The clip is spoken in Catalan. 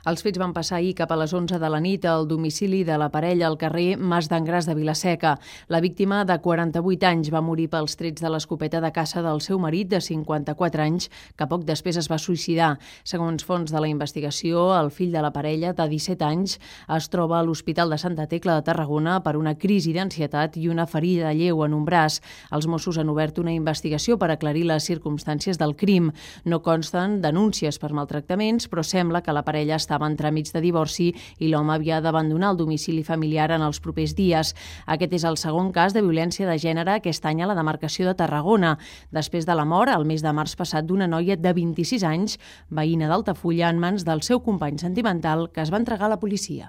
Els fets van passar ahir cap a les 11 de la nit al domicili de la parella al carrer Mas d'Angràs de Vila-seca. La víctima, de 48 anys, va morir pels trets de l'escopeta de caça del seu marit, de 54 anys, que poc després es va suïcidar. Segons fonts de la investigació, el fill de la parella, de 17 anys, es troba a l'Hospital de Santa Tecla de Tarragona per una crisi d'ansietat i una ferida lleu en un braç. Els Mossos han obert una investigació per aclarir les circumstàncies del crim. No consten denúncies per maltractaments, però sembla que la parella estava en tràmits de divorci i l'home havia d'abandonar el domicili familiar en els propers dies. Aquest és el segon cas de violència de gènere aquest any a la demarcació de Tarragona, després de la mort, el mes de març passat, d'una noia de 26 anys, veïna d'Altafulla, en mans del seu company sentimental, que es va entregar a la policia.